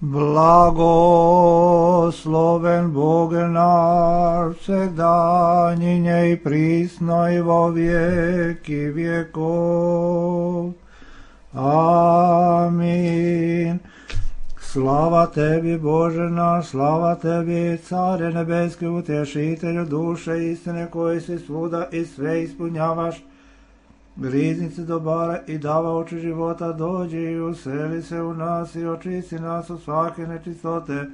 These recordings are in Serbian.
Blagosloven Bog naš, vsegdanjinje i prisno i vo vijeki vjekov. Amin. Slava tebi, Bože naš, slava tebi, Care nebeski, utješitelju duše istine, koji si svuda i sve ispunjavaš. Riznici dobara i dava oči života, dođi i useli se u nas i očisti nas od svake nečistote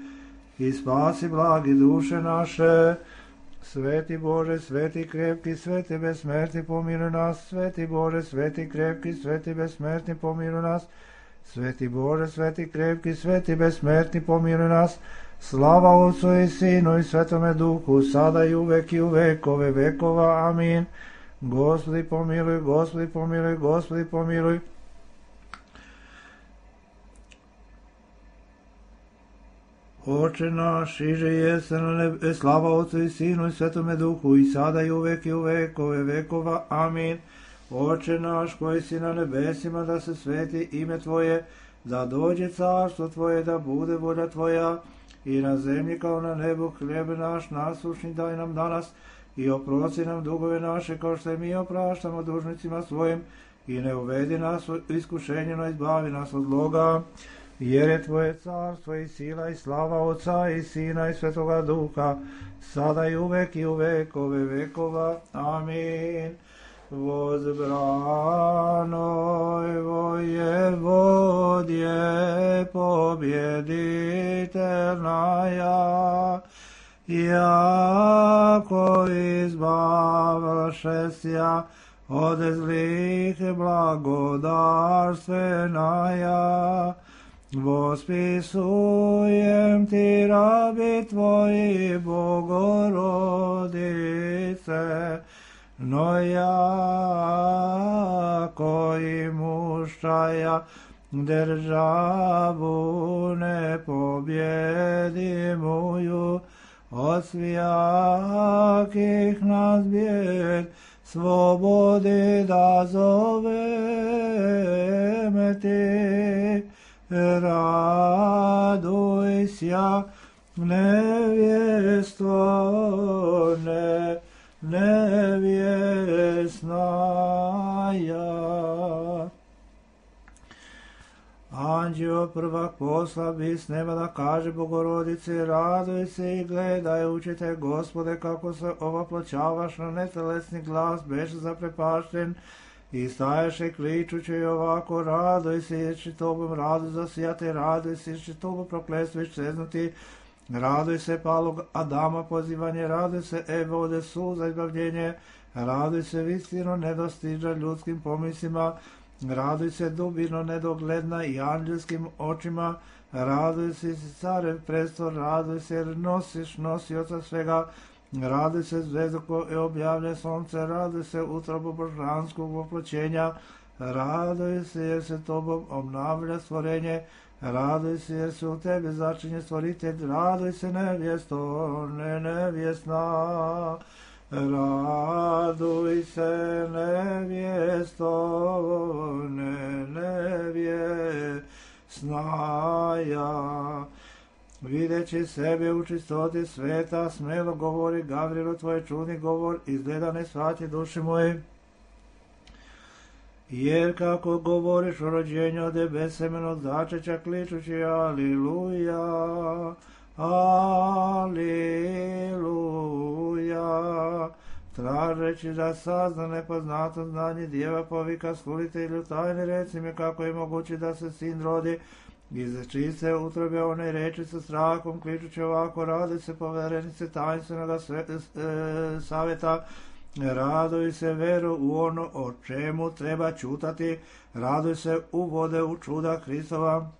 i spasi blagi duše naše. Sveti Bože, sveti krepki, sveti besmrtni, pomiluj nas. Sveti Bože, sveti krepki, sveti besmrtni, pomiluj nas. Sveti Bože, sveti krepki, sveti besmrtni, pomiluj nas. Slava Otcu i Sinu i Svetome Duhu, sada i uvek i u vekove vekova. Amin. Gospodi pomiluj, Gospodi pomiluj, Gospodi pomiluj. Oče naš, iže jeste na nebe, slava Otcu i Sinu i Svetome Duhu, i sada i uvek vekove vekova. Amin. Oče naš koji si na nebesima, da se sveti ime Tvoje, da dođe carstvo Tvoje, da bude volja Tvoja, i na zemlji kao na nebu. Hljeb naš nasušni daj nam danas, i oprosti nam dugove naše, kao što i mi opraštamo dužnicima svojim, i ne uvedi nas u iskušenje, no izbavi nas od zloga. Jer je Tvoje carstvo i sila i slava Otca i Sina i Svetoga Duha, sada i u vekove vekova. Amin. Возбранoj воеводje побjeditelная, jako izbavlšesja od zlih blagodarstveная. Vospisujem ti, rabi Tvoji, Bogorodice, no jako imušaja državu nepobjedimuju, od svijakih nas bijed slobodi da zoveme ti. Radujся, nevjesto nevjesnaja. Anđeo prvak poslabi s neba da kaže Bogorodici, raduj se i gledaj, učite Gospode, kako se ovaploćavaš na netelesni glas, beše zaprepašten, i stajaše kličući ovako, raduj se, jer će tobom radu zasijati, raduj se, jer će tobom prokletstvo iščeznuti, raduj se palog Adama pozivanje, raduj se Eve ode suza izbavljenje, raduj se vistino nedostiža ljudskim pomislima, raduj se dubino nedogledna i anđelskim očima, raduj se carev prestor, raduj se jer nosioca svega, raduj se zvezdu koje objavlja sonce, raduj se utrobu božanskog voploćenja, raduj se jer se tobom obnavlja stvorenje, raduj se jer se u tebi začinje stvoritelj, raduj se nevjesto nevjesna, raduj se nevjesto nevjesnaja. Videći sebe u čistoti sveta, smelo govori Gavrilu tvoj čudni govor, izgleda ne shvati duši moje. Jer kako govoriš o rođenju od besemen od začeća, kličući aliluja, aliluja. Tražeći da sazna nepoznato znanje, djeva povika skulitelju tajne, reci mi kako je moguće da se sin rodi, iz čiste utrobe one reči sa strahom, kličući ovako, raduj se poverenice tajnstvenog savjeta, raduj se veru u ono o čemu treba čutati, raduj se u vode u čuda Hristova,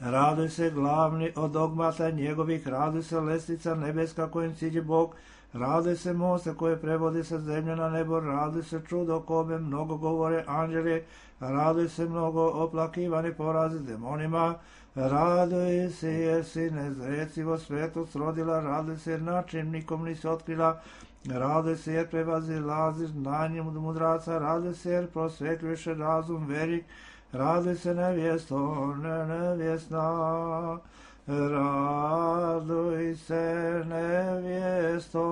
raduj se glavni od dogmata njegovih, raduj se lestvica nebeska kojim siđe Bog, raduj se moste koje prevodi sa zemlje na nebo, raduj se čudo kome mnogo govore anđeli, raduj se mnogo oplakivani porazi demonima, raduj se jer si nezrecivo svetost rodila, raduj se jer način nikom nisi otkrila, raduj se jer prevazilaziš znanjem od mudraca, raduj se jer prosvetljuješ razum verik, raduj se nevjesto, nevjesna, raduj se nevjesto,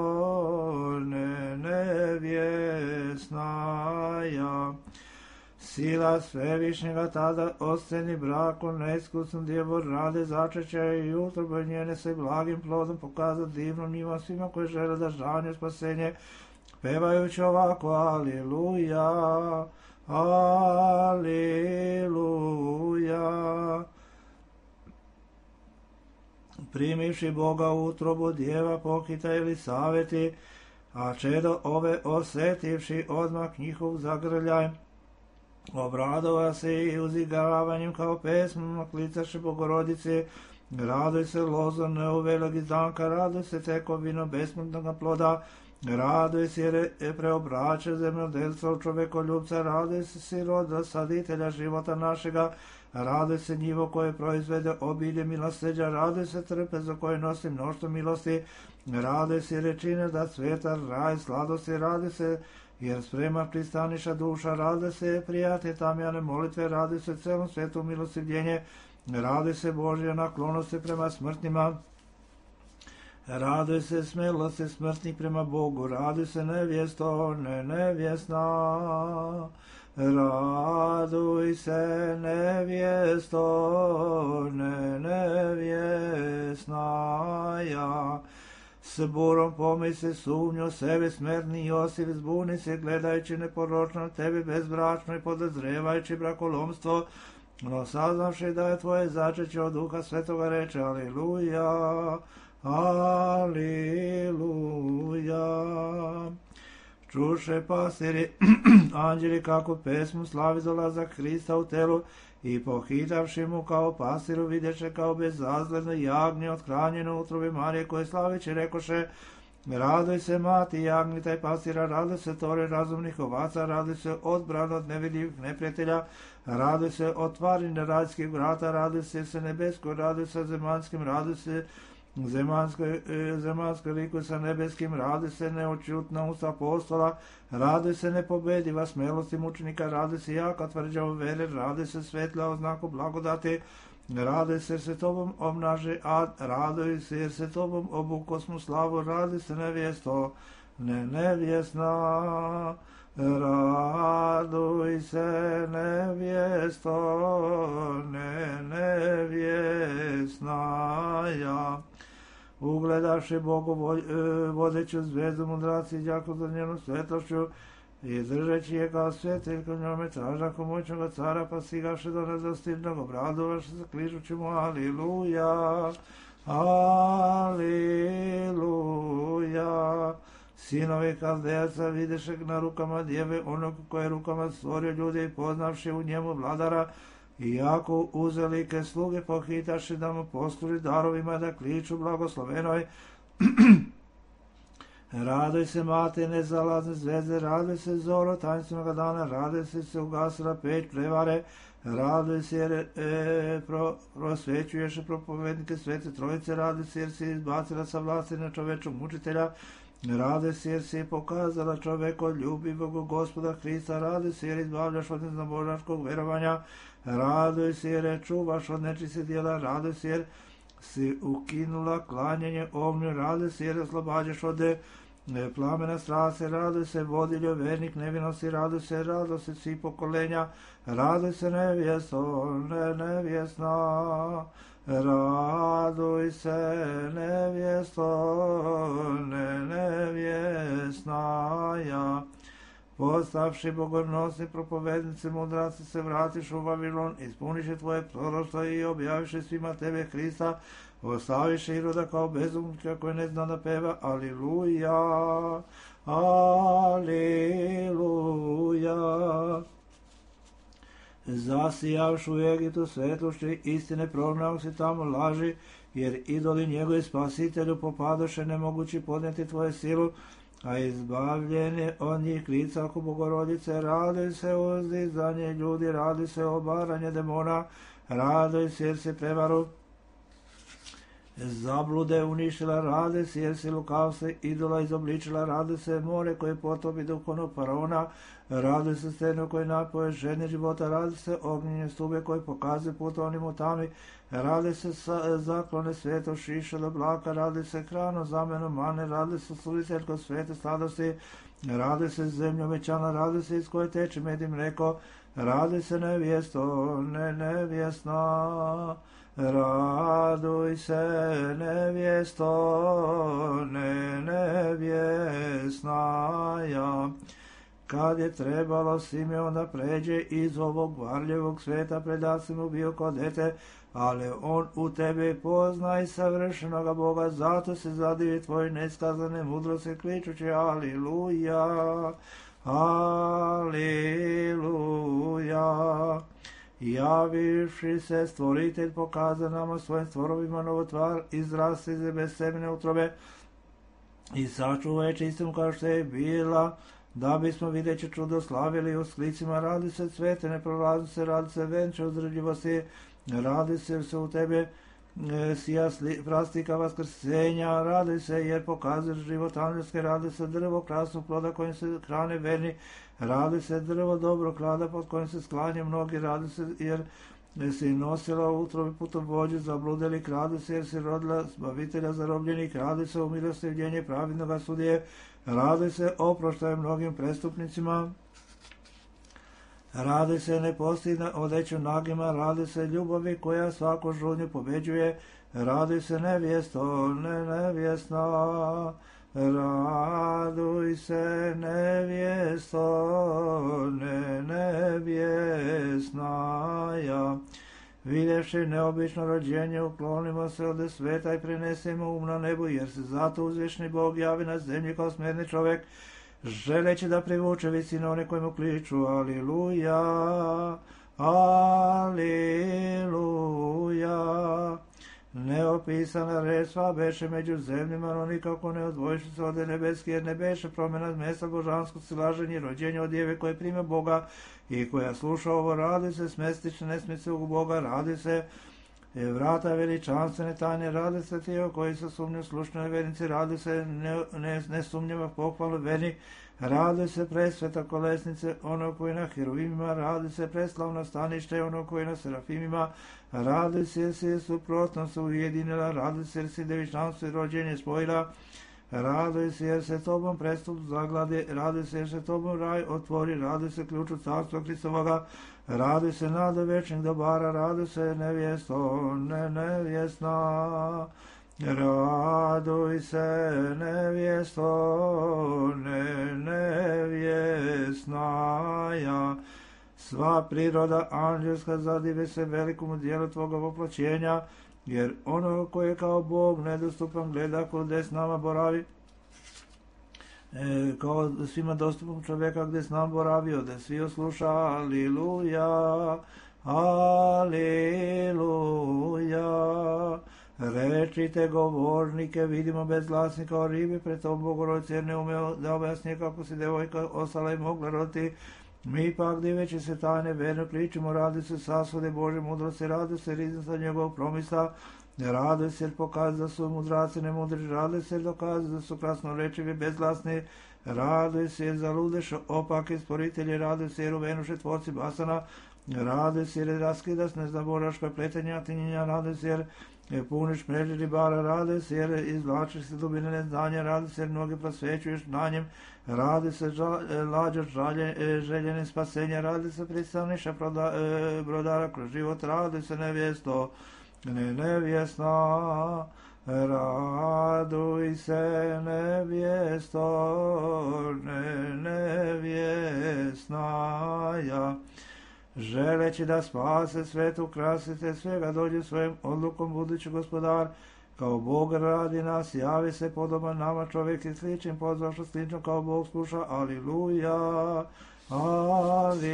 nevjesna ja. Sila Svevišnjega tada osceni braku neiskusnom djevu rade začeća i utrobe njene se blagim plodom pokaza divnom njima svima koji žele da žanje spasenje, pevajući ovako Aliluja, Aliluja. Primivši Boga u utrobu djeva pohita Elisaveti, a čedo ove osetivši odmah njihov zagrljaj, obradova se i uzigaravanjem kao pesmom klicaše Bogorodice, raduj se lozo neuvelog izdanka, raduj se tekovino besmrtnog ploda, raduj se jer preobraća zemljodelca u čovekoljubca, raduj se siroda saditelja života našega, raduj se njivo koje proizvede obilje milosrđa, raduj se trpezo koje nosi mnoštvo milosti, raduj se rečine da sveta raj sladosti, raduj se jer sprema pristaniša duša, raduj se prijatelj tamjane molitve, raduj se celom svetu milostivljenje, raduj se Božja naklonosti prema smrtnima, raduj se smelosti smrtnih prema Bogu, raduj se nevjesto, nevjesna, raduj se nevjesto, nevjesna ja. S burom pomisli sumnju sebe smrtni Josif, zbuni se gledajući neporočno tebe bezbračno i podozrevajući brakolomstvo, no saznavši da je tvoje začeće od Duha Svetoga reče Aliluja, Aliluja. Čuše pastiri anđeli kako pesmu slavi dolazak Hrista u telu i pohitavši mu kao pastiru vidješe kao bezazledno jagnje othranjeno u utrobi Marije koje slaviće rekoše raduj se mati jagnjita i pastira, raduj se tore razumnih ovaca, raduj se odbran od nevidljivih neprijatelja, raduj se otvaranje rajskih vrata, raduj se nebesko, raduj se zemanskim, raduj se zemanskoj liku sa nebeskim, raduj se neočutna usta apostola, raduj se nepobediva smelosti mučenika, raduj se jaka tvrđa u vere, raduj se svetla oznaku blagodati, raduj se jer se tobom obnaže ad, raduj se jer se tobom obukosmu slavu, raduj se nevjesto, nevjesna, raduj se nevjesto, nevjesna ja. Ugledavši Bogu vodeću zvezdu mudraci đako za njenu svetlošću i držeći je kao svetiljko njome tražaku moćnoga cara, pa stigavši do nedostižnog obradovaši se kližući mu Aliluja, Aliluja. Sinovi Kaldejaca videše na rukama djeve onog koje je rukama stvorio ljude i poznavši u njemu vladara, i jako uzelike sluge pohitaši da mu posluži darovima da kliču blagoslovenoj. Raduj se mate nezalazne zvezde, raduj se zoro tanstvenoga dana, raduj se ugasila peć prevare, raduj se jer prosvećuješ propovednike Svete Trojice, raduj se jer si izbacila sa vlasti na čovečog mučitelja, raduj se jer si pokazala čoveko ljubivog Gospoda Hrista, raduj se jer izbavljaš od neznabožačkog verovanja, raduj se jer čuvaš od nečistih djela, raduj se jer si ukinula klanjanje ognju, raduj se jer oslobađaš od plamena strasti, raduj se vodiljo vernik nevinosti, raduj se radosti svih pokolenja, raduj se nevjesto, nevjesna, raduj se nevjesto, nevjesna ja. Postavši bogornosni propovednici mudraci se vratiš u Vavilon, ispuniše tvoje proroštvo i objaviše svima tebe Hrista, ostaviše Iroda kao bezumnika koji ne zna da peva Aliluja, Aliluja. Zasijavši u Egitu svetlošću istine prognao si tamo laži, jer idoli njegovi spasitelju popadoše nemogući podnijeti tvoje silu, a izbavljenje od njih klica oko Bogorodice, raduj se uzdizanje ljudi, raduj se obaranje demona, raduj se jer se prevaru Zablude uništila, rade se, jer si lukavstvo idola izobličila, rade se more koje potopi duhovnog faraona, rade se steno koje napoje žene života, rade se ognjenje stube koje pokazuje put onim u tami, rade se zaklone sveto šiša do blaka, rade se hrano zameno mane, rade se sluditeljko svete sladosti, rade se zemlja obećana, rade se iz koje teče med i mleko, rade se nevjesto, nevjesna, raduj se nevjesto, nevjesnaja. Kad je trebalo Simeon da pređe iz ovog varljivog sveta, predat si mu bio kod dete, ali on u tebi poznaj savršenoga Boga, zato se zadivi tvoj neskazane mudrosti, kličući aliluja, aliluja. Javivši se stvoritelj pokaza nama svojim stvorovima novotvar, izrasti iz bez semene utrobe i sačuvaj čistom kao što je bila, da bismo videći čudo slavili u sklicima. Radi se cvete neprolaznice, radi se venče uzdržljivosti, radi se u tebe sija prastika vaskrsenja, radi se jer pokazuješ život angelske, radi se drvo krasnog ploda kojim se hrane verni, radi se drvo dobro klada pod kojim se sklanje mnogi, radi se jer si nosila u utrobi putovođu zabludelik, radi se jer si rodila zbavitelja zarobljenih, radi se u milostivljenje pravidnoga sudije, radi se oproštaje mnogim prestupnicima, radi se nepostidna odeću nagima, radi se ljubavi koja svaku žudnju pobeđuje, radi se nevjesto, nevjesna, raduj se nevjesto, nevjesnaja. Vidjevši neobično rođenje, uklonimo se od sveta i prenesemo um na nebu, jer se zato uzvišni Bog javi na zemlji kao smjerni čovjek, želeći da privuče visine one koji mu kliču aliluja, aliluja. Neopisana reč sva beše među zemljima, no nikako ne odvojiše se od nebeski, jer ne beše promjena mjesta božanskog silaženja i rođenja od djeve koje prime Boga i koja sluša ovo, radi se smestične nesmice u Boga, radi se vrata veličanstvene tajne, radi se tijelo koji se sumnju slušnoj vernici, radi se nesumnjiva pohvalu vernik, radi se presveta kolesnice ono koji na heruvimima, radi se preslavno stanište ono koji na serafimima, radi se jer si suprotno se ujedinila, radi se jer si devičanstvo i rođenje spojila, radi se jer se tobom prestup zaglade, radi se jer se tobom raj otvori, radi se ključu carstva Hristovoga, radi se nada večnih dobara, radi se nevjesto, nevjesna, raduj se nevjesto, nevjesnaja. Sva priroda anđelska zadive se velikomu dijelu tvoga voploćenja, jer ono koje kao Bog nedostupan gleda gdje s nama boravi, kao svima dostupnog čovjeka gdje s nama boravio, da svi osluša aliluja, aliluja. Rečite govornike, vidimo bezglasnika o ribi, pred tom Bogorodice jer ne umeo da objasnije kako se devojka ostala i mogla roditi. Mi pak diveći se tajne verno kličimo, radi se sasude Bože mudrosti, radi se riznica njegovog promisa, radi se jer pokazuje da su mudraci nemudri, radi se jer dokazuje da su krasnorečivi bezglasni, radi se jer zaludeš opaki sporitelji, radi se jer uvenuše tvorci basana, radi se jer raskidas neznaboraška pletenja tinjenja, radi se jer puniš mreže ribara, radi se jer izvlačiš se dubine neznanja, radi se jer mnogi prosvećuješ na njem, radi se lađaš željene spasenja, radi se predstavniša brodara kroz život, radi se nevjesto, nevjesna, raduj se nevjesto, nevjesnaja. Želeći da spase svetu krasite svega, dođe svojim odlukom budući gospodar, kao Bog radi nas, javi se podoban nama čovjek i sličnim, pozvašo slično kao Bog sluša, aliluja, aliluja.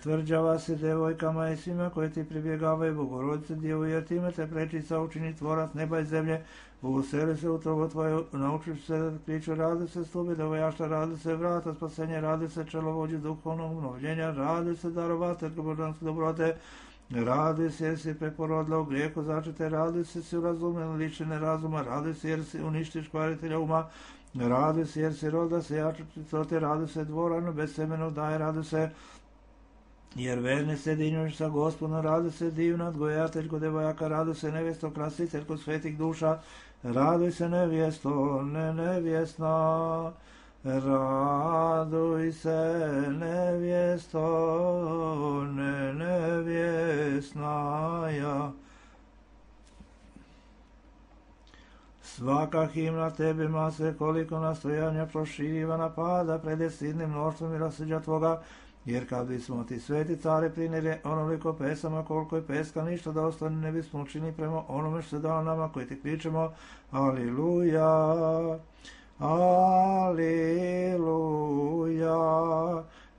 Tvrđava se devojkama i svima koji ti pribjegavaju, Bogorodice Djevu, jer time te prečica učini tvorac neba i zemlje, useli se u trobu tvoju, naučiš se da kriču, radi se stubi devojašta, radi se vrata spasenja, radi se čelovođi duhovnog obnovljenja, radi se darovateljka božanske dobrote, Raduj se jer si preporodila u grijehu začete, raduj se si urazumila ličine razuma, raduj se jer si uništiš kvaritelja uma, raduj se jer si roda se jače čistote, raduj se dvorano bez semena daje, raduj se jer verne se dinjuš sa Gospodom, raduj se divna odgojateljko devojaka, raduj se nevjesto krasiteljko svetih duša, raduj se nevjesto, nevjesna, raduj se nevjesto, nevjesnaja. Svaka himna tebima se koliko nastojanja proširiva napada pred sidnim mnoštvom i raseđa tvoga, jer kad bismo ti sveti care prinili onoliko pesama koliko je peska, ništa da ostane ne bismo učinili prema onome što se dao nama koji ti kričemo Aliluja, Aliluja.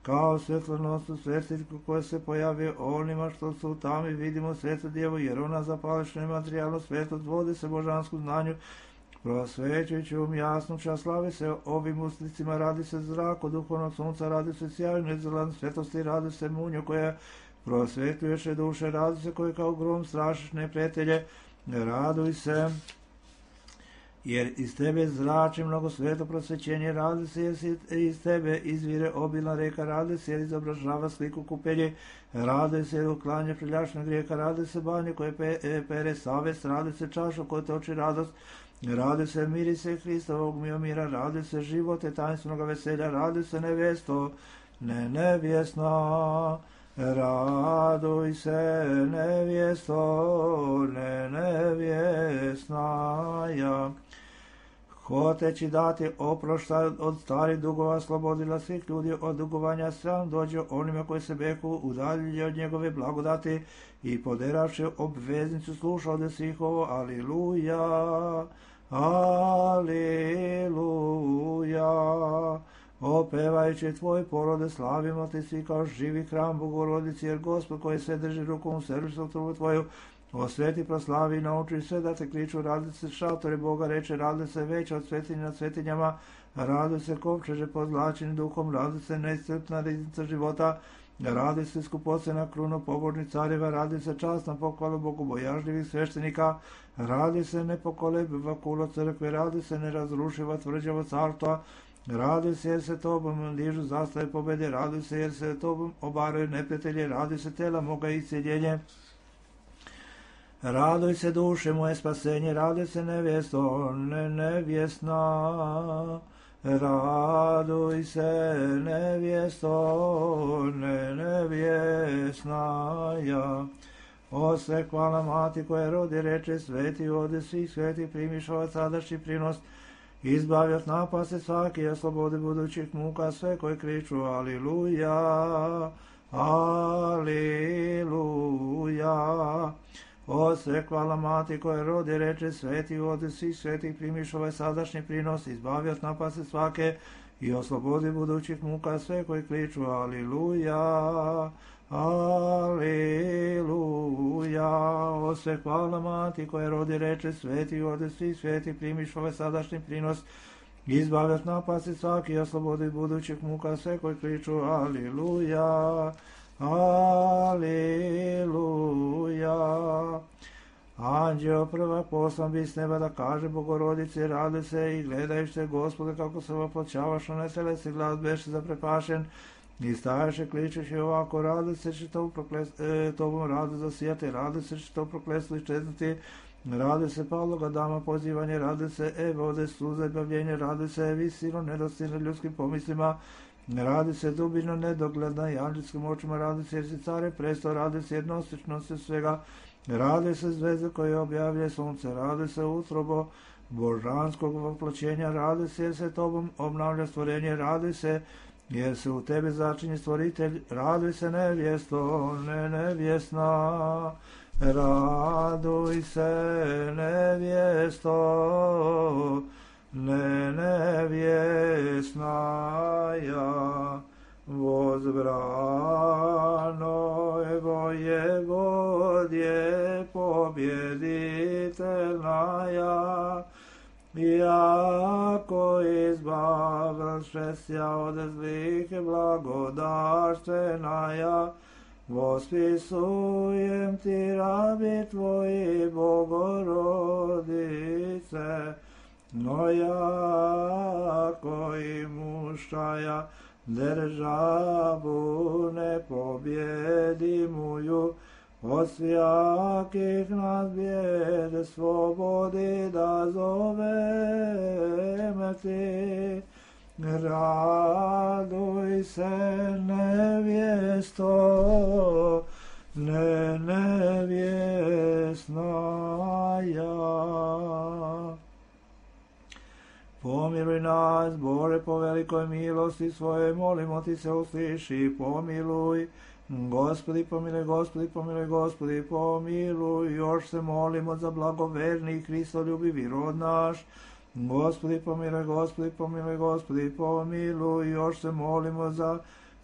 Kao svjetlonostu svjetiljku koja se pojavi onima što su u tami, vidimo svetu djevu, jer ona zapališno materijalno svjetlost vodi se božansku znanju, prosvećujući jasnu čast, slavi se ovim uslicima, radi se zrak od duhovnog sunca, radi se sjajno izgledan svjetlosti, radi se munju koja prosvetljuješe duše, radi se koji kao grom strašiš neprijatelje, raduj se jer iz tebe zrači mnogo sveto prosvećenje, radi se jer iz tebe izvire obilna reka, radi se jer izobražava sliku kupelje, radi se jer uklanja preljašnog grijeka, radi se banje koje pere savest, radi se čašu koja toči radost, radi se mirise Hristovog mira, radi se živote tajnstvenog veselja, radi se nevjesto, nevjesna, raduj se nevjesto, nevjesnaja. Hoteći dati oproštaj od starih dugova, slobodila svih ljudi od dugovanja, sram dođe onima koji se beku udaljili od njegove blagodati i poderavši obveznicu sluša od svih ovo, Aliluja, Aliluja. Opevajući tvoj porode, slavimo te svi kao živi hram Bogorodici, jer Gospod koji se drži rukom u servisu trubu tvoju, osveti, proslavi i nauči sve da te kliču, radi se šatore Boga, reče, radi se veća od svetinja nad svetinjama, radi se kovčeže pozlačeni duhom, radi se neiscrpna riznica života, radi se skupocena kruna pobožnih carjeva, radi se časna pohvala bogobojažljivih sveštenika, radi se nepokolebiva kula crkve, radi se nerazrušiva tvrđava carstva, radi se jer se tobom dižu zastave pobede, radi se jer se tobom obaraju neprijatelje, radi se tela moga isceljenje. Raduj se duše moje spasenje, raduj se nevjesto, nevjesna, raduj se nevjesto, nevjesnaja. O sve hvala mati koja rodi reče, sveti ode svih sveti primiš ovaj sadašnji prinos, izbavi od napasti svaki, a slobode budućih muka sve koji kriču Aliluja, Aliluja. O sve hvala mati koja rodi reče, sveti ode svih svetih primiš ovaj sadašnji prinos, izbavi od napasti svake i oslobodi budućih muka sve koji kriču Aliluja, Aliluja. O sve hvala mati koja rodi reče, sveti ode svih svetih primiš ovaj sadašnji prinos, izbavi od napasti svaki i oslobodi budućih muka sve koji kriču Aliluja, Aliluja. Anđeo prvak poslan bi s neba da kaže Bogorodice, radi se i gledajući Gospode kako se oploćavaš na netelesi, glas beše zaprepašen i stajaše kličući ovako, radi se će tobom radu zasijati, radi se će to prokletstvo iščeznuti, radi se Pavloga dama pozivanje, radi se vode suza i bavljenje, radi se visino nedostojno ljudskim pomislima, radi se dubino nedogledna i anđelskim očima, radi se jer si care presto, radi se jednostičnosti svega, radi se zvezde koje objavlja sunce, radi se utrobo božanskog voploćenja, radi se jer se tobom obnavlja stvorenje, radi se jer se u tebi začinje stvoritelj, radi se nevjesto, nevjesna, raduj se nevjesto, nevjesnaja. Возбрано Воеводье победительная, яко избавившеся от злых и благодатственная, Vospisujem ti rabi tvoji, Bogorodice, no jako i mušaja državu nepobjedimuju, od svijakih nas bijede slobodi da zoveme ti. Raduj se nevjesto, nevjesnaja. Pomiluj nas, Bože, po velikoj milosti svoje, molimo ti se usliši, pomiluj. Gospodi pomiluj, Gospodi pomiluj, Gospodi pomiluj, još se molimo za blagoverni i Hristoljubivi rod naš. Gospodi pomiluj, Gospodi pomiluj, Gospodi pomiluj, još se molimo za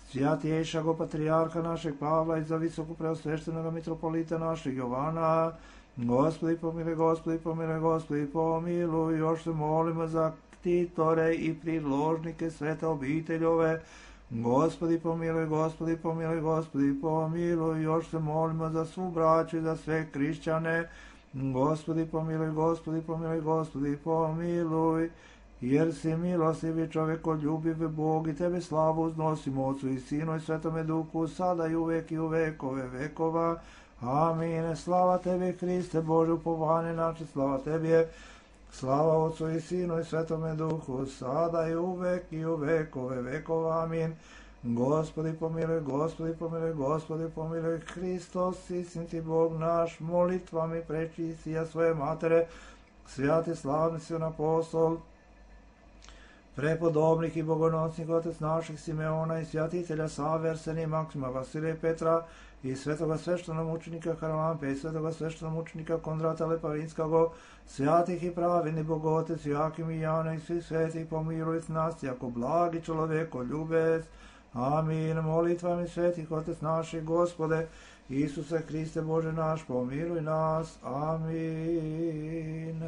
svjatjejšago patrijarha našeg Pavla i za visoko preosveštenog mitropolita našeg Jovana. Gospodi pomiluj, Gospodi pomiluj, Gospodi pomiluj, još se molimo za ktitore i priložnike svete obiteljove. Gospodi pomiluj, Gospodi pomiluj, Gospodi pomiluj, još se molimo za svu braću i za sve hrišćane. Gospodi pomiluj, Gospodi pomiluj, Gospodi pomiluj, jer si milostivi čovekoljubiv Bog i tebe slavu uznosimo Otcu i Sinu i Svetome Duhu, sada i uvek i u vekove vekova. Amin. Slava tebi, Hriste, Bože, upovanje naše, slava tebi, slava Otcu i Sinu i Svetome Duhu, sada i uvek i u vekove vekova. Amin. Gospodi pomiluj, Gospodi pomiluj, Gospodi pomiluj, Hristos, istiniti Bog naš, molitvami prečistija svoje matere, svjati slavni si apostol, prepodobnih i bogonosnih otec naših Simeona i svjatitelja Save, Arsenija, Maksima, Vasilija i Petra i svetoga sveštenomučenika Harlampe i svetoga sveštenomučenika Kondrata Leparinskog, svjatih i pravedni Bogotec, Joakim i Jana i svih svetih pomiluj nas, jako blagi čovjeko ljubec. Amin. Molitvami svetih Otec naših, Gospode, Isuse Hriste Bože naš, pomiluj nas. Amin.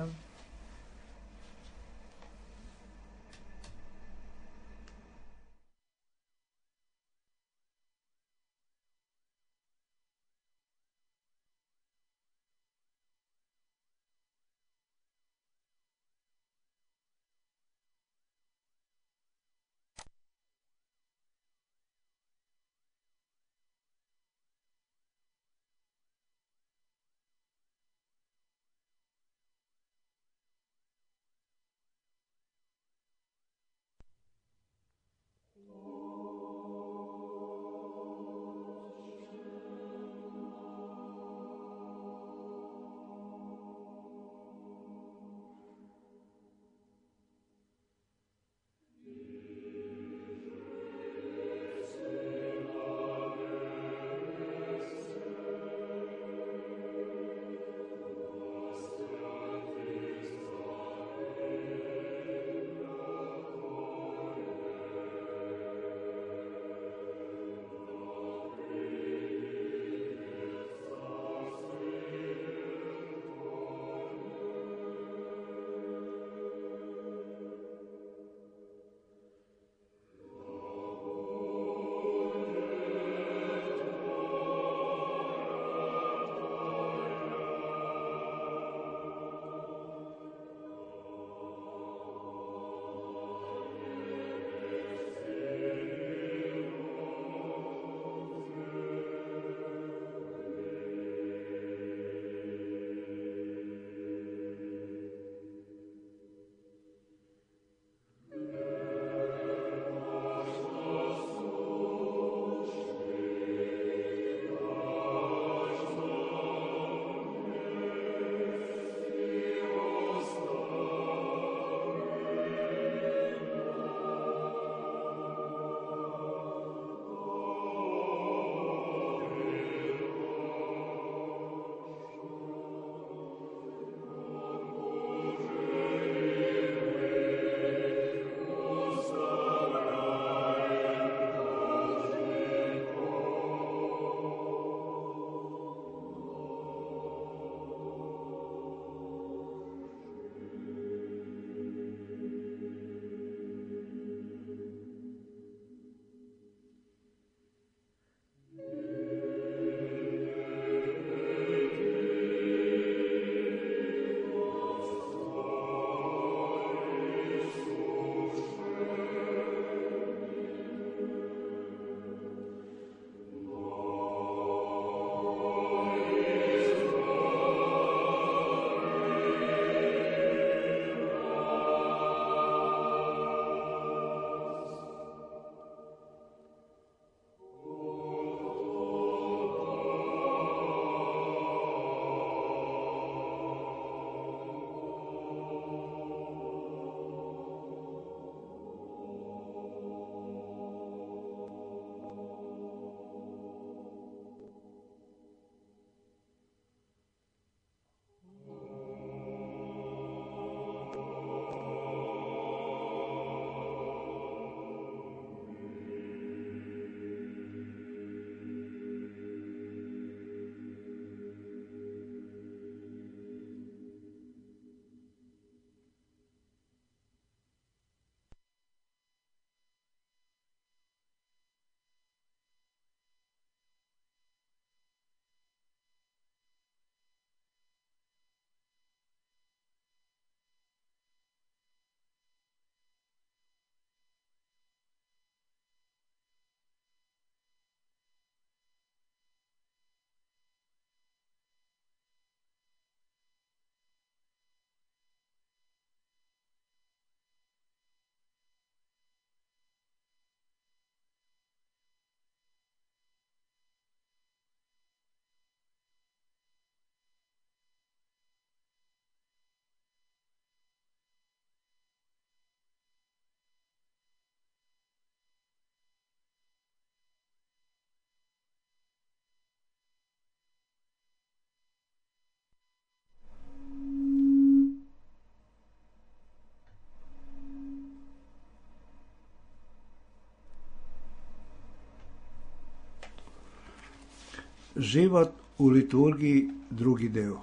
Život u liturgiji, drugi deo.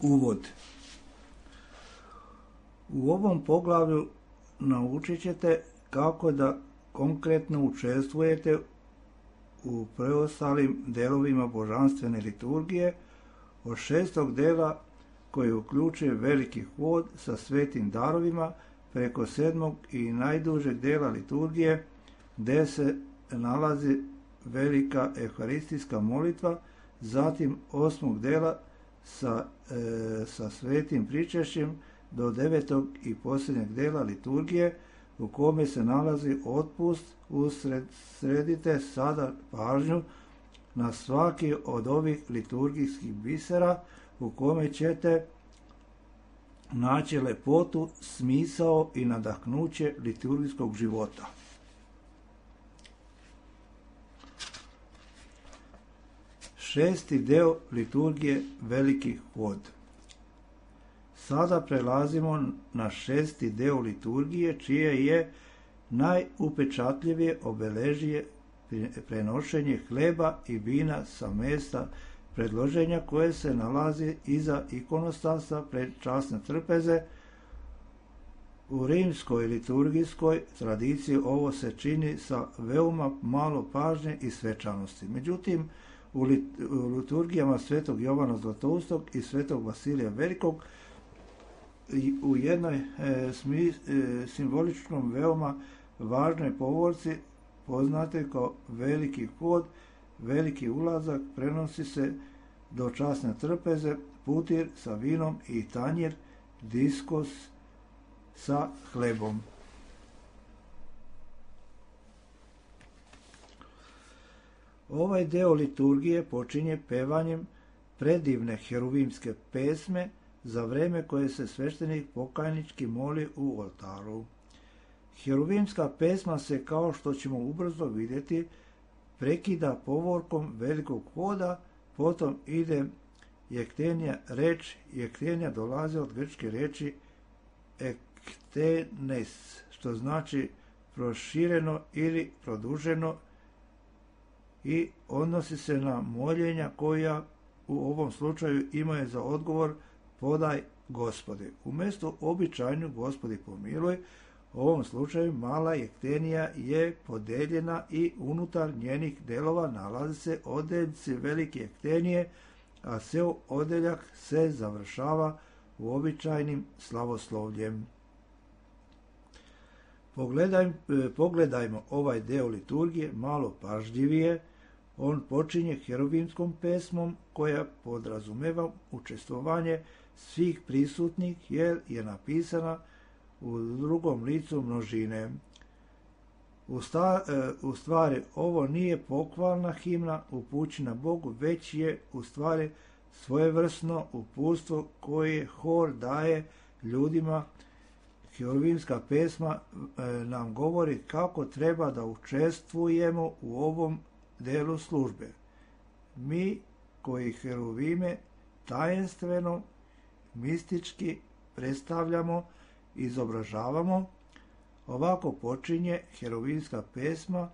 Uvod. U ovom poglavlju naučit ćete kako da konkretno učestvujete u preostalim delovima božanstvene liturgije od 6. dela koji uključuje veliki hod sa svetim darovima preko 7. i najdužeg dela liturgije gdje se nalazi velika euharistijska molitva, zatim 8. dela sa svetim pričešćem do 9. i posljednjeg dela liturgije u kome se nalazi otpust. Usredite sada pažnju na svaki od ovih liturgijskih bisera u kome ćete naći lepotu, smisao i nadahnuće liturgijskog života. Šesti deo liturgije, veliki hod. Sada prelazimo na 6. deo liturgije, čije je najupečatljivije obeležje prenošenje hleba i vina sa mesta predloženja koje se nalazi iza ikonostasa pred časne trpeze. U rimskoj liturgijskoj tradiciji ovo se čini sa veoma malo pažnje i svečanosti. Međutim, u liturgijama svetog Jovana Zlatoustog i svetog Vasilija Velikog u jednoj simboličnom veoma važnoj povorci poznate kao veliki hod, veliki ulazak, prenosi se do časne trpeze, putir sa vinom i tanjir, diskos sa hlebom. Ovaj deo liturgije počinje pevanjem predivne heruvimske pesme za vreme koje se sveštenik pokajnički moli u oltaru. Heruvimska pesma se, kao što ćemo ubrzo vidjeti, prekida povorkom velikog hoda, potom ide jektenija reč. Jektenija dolazi od grčke reči ektenes, što znači prošireno ili produženo, i odnosi se na moljenja koja u ovom slučaju imaju za odgovor podaj Gospode. Umjesto običajnu Gospodi pomiluj, u ovom slučaju mala jektenija je podeljena i unutar njenih delova nalazi se odeljci velike jektenije, a ceo odeljak se završava uobičajenim slavoslovljem. Pogledajmo ovaj deo liturgije malo pažljivije. On počinje heruvimskom pesmom koja podrazumeva učestvovanje svih prisutnih jer je napisana u drugom licu množine. U stvari, ovo nije pohvalna himna upućena Bogu, već je u stvari svojevrsno uputstvo koje hor daje ljudima. Heruvimska pesma nam govori kako treba da učestvujemo u ovom delu službe. Mi koji heruvime tajenstveno, mistički predstavljamo, izobražavamo. Ovako počinje heruvimska pesma,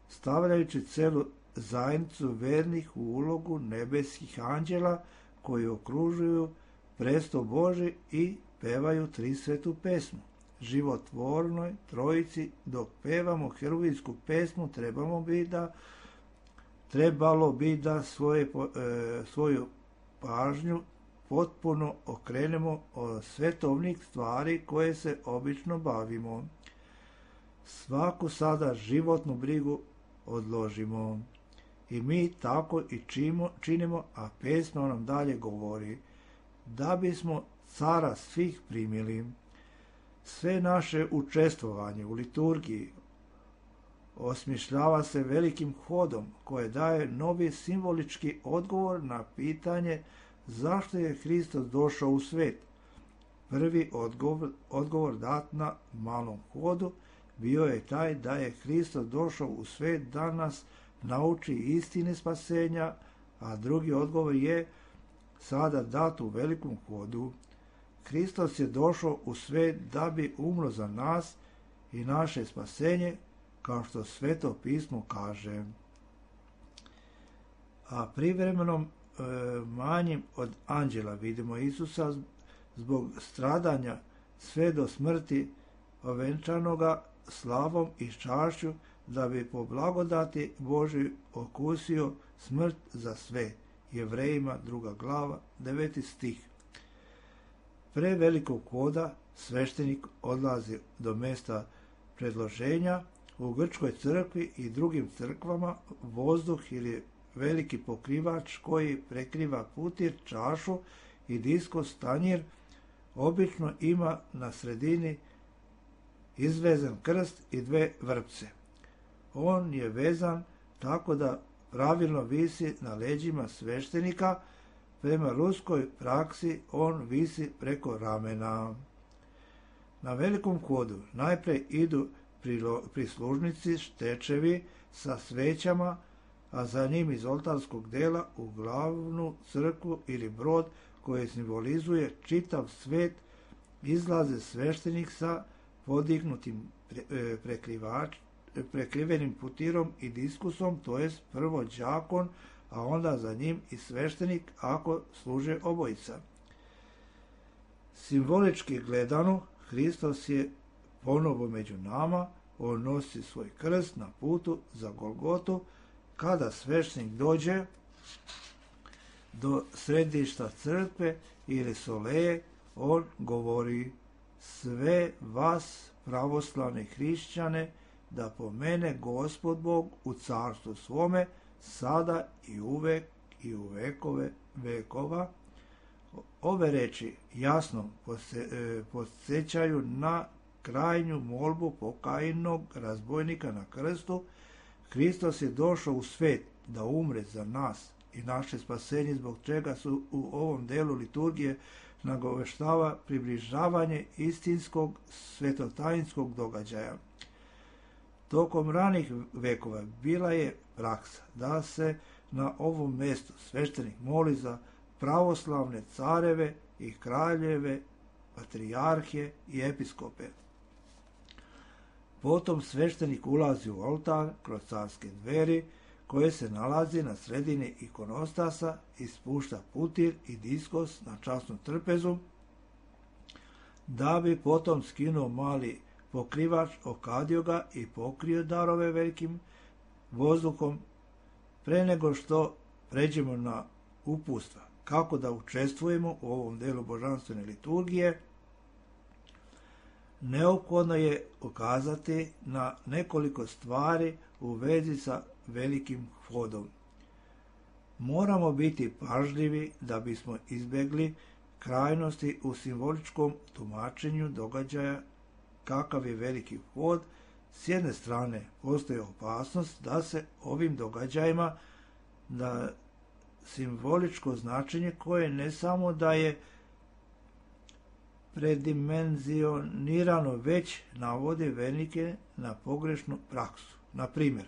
stavljajući celu zajednicu vernih u ulogu nebeskih anđela koji okružuju presto Boži i pevaju Trisvetu pesmu. Životvornoj trojici dok pevamo heruvimsku pesmu trebalo bi da svoju pažnju potpuno okrenemo od svetovnih stvari koje se obično bavimo. Svaku sada životnu brigu odložimo. I mi tako i činimo, a pesma nam dalje govori: da bismo cara svih primili. Sve naše učestvovanje u liturgiji osmišljava se velikim hodom koje daje novi simbolički odgovor na pitanje zašto je Hristos došao u svet. Prvi odgovor dat na malom hodu bio je taj da je Hristos došao u svet da nas nauči istine spasenja, a drugi odgovor je sada dat u velikom hodu. Hristos je došao u svet da bi umro za nas i naše spasenje, kao što Sveto pismo kaže. a privremenom manjim od anđela. Vidimo Isusa zbog stradanja sve do smrti ovenčanoga slavom i čašću, da bi po blagodati Božoj okusio smrt za sve. Jevrejima 2. glava 9. stih. Pre velikog hoda sveštenik odlazi do mesta predloženja. U grčkoj crkvi i drugim crkvama vozduh ili veliki pokrivač koji prekriva putir, čašu i diskos tanjir obično ima na sredini izvezan krst i dve vrpce. On je vezan tako da pravilno visi na leđima sveštenika. Prema ruskoj praksi on visi preko ramena. Na velikom hodu najpre idu prislužnici štečevi sa svećama, a za njim iz oltarskog dela u glavnu crkvu ili brod koji simbolizuje čitav svet izlaze sveštenik sa podignutim prekrivenim putirom i diskusom, to jest prvo đakon, a onda za njim i sveštenik ako služe obojica. Simbolički gledano, Hristos je ponovo među nama, on nosi svoj krst na putu za Golgotu. Kada sveštenik dođe do središta crkve ili soleje, on govori: sve vas pravoslavne hrišćane da pomene Gospod Bog u carstvu svome, sada i uvek i u vekove vekova. Ove reči jasno podsjećaju na krajnju molbu pokajnog razbojnika na krstu. Hristos je došao u svet da umre za nas i naše spasenje, zbog čega su u ovom delu liturgije nagoveštava približavanje istinskog svetotajinskog događaja. Tokom ranih vekova bila je praksa da se na ovom mjestu sveštenik moli za pravoslavne careve i kraljeve, patrijarhe i episkope. Potom sveštenik ulazi u oltar kroz carske dveri koje se nalazi na sredini ikonostasa i spušta putir i diskos na časnu trpezu, da bi potom skinuo mali pokrivač, okadio ga i pokrio darove velikim vozduhom. Pre nego što pređemo na uputstva kako da učestvujemo u ovom delu božanstvene liturgije, neophodno je ukazati na nekoliko stvari u vezi sa velikim hodom. Moramo biti pažljivi da bismo izbjegli krajnosti u simboličkom tumačenju događaja kakav je veliki hod. S jedne strane postoji opasnost da se ovim događajima da simboličko značenje koje ne samo da je predimenzionirano, već navode vernike na pogrešnu praksu. Na primjer,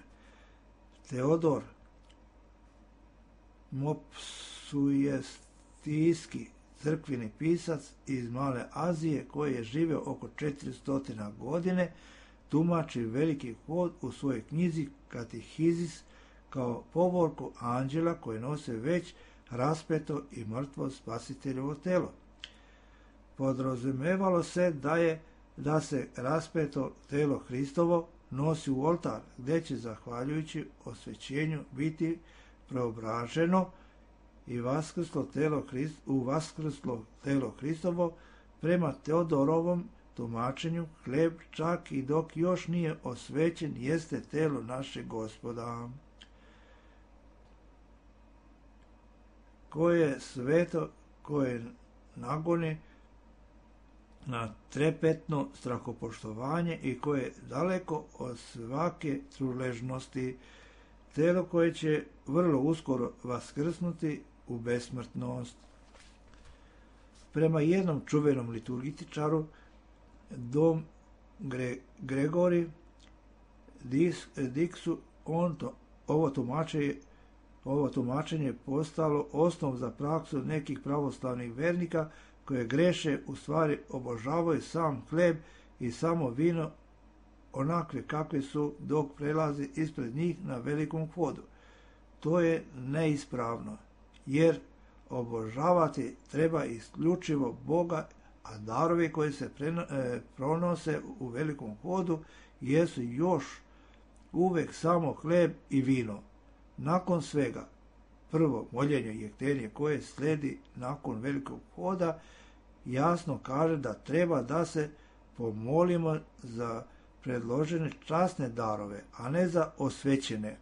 Teodor Mopsujestijski, crkveni pisac iz Male Azije koji je živio oko 400 godine, tumači veliki hod u svojoj knjizi Katehizis kao povorku anđela koji nose već raspeto i mrtvo spasiteljevo telo. Podrazumevalo se da se raspeto telo Hristovo nosi u oltar, gdje će zahvaljujući osvećenju biti preobraženo i vaskrslo telo Hristovo. Prema Teodorovom tumačenju hljeb čak i dok još nije osvećen jeste telo našeg Gospoda, koje je sveto, koje nagoni na trepetno strahopoštovanje i koje je daleko od svake truležnosti, telo koje će vrlo uskoro vaskrsnuti u besmrtnost. Prema jednom čuvenom liturgitičaru, Dom Gregori Diksu, ovo tumačenje je postalo osnov za praksu nekih pravoslavnih vernika koje greše, u stvari obožavaju sam hljeb i samo vino onakve kakve su dok prelazi ispred njih na velikom hodu. To je neispravno, jer obožavati treba isključivo Boga, a darovi koji se pronose u velikom hodu jesu još uvek samo hleb i vino. Nakon svega, prvo moljenje i jektenje koje sledi nakon velikog hoda jasno kaže da treba da se pomolimo za predložene časne darove, a ne za osvećene.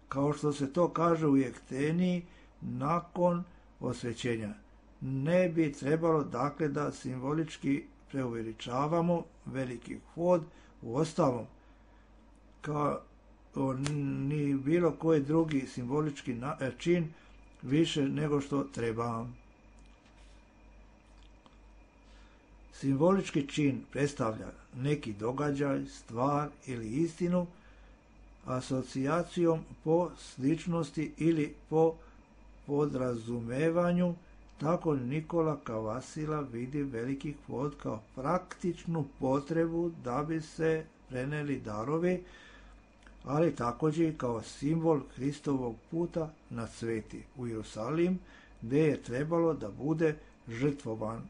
Kao što se to kaže u jekteniji nakon osvećenja. Ne bi trebalo dakle da simbolički preuveličavamo veliki hod, u ostalom kao ni bilo koji drugi simbolički čin više nego što treba. Simbolički čin predstavlja neki događaj, stvar ili istinu asocijacijom po sličnosti ili po podrazumevanju. Tako Nikola Kavasila vidi veliki hod kao praktičnu potrebu da bi se preneli darovi, ali također i kao simbol Hristovog puta na sveti u Jerusalim, gdje je trebalo da bude žrtvovan.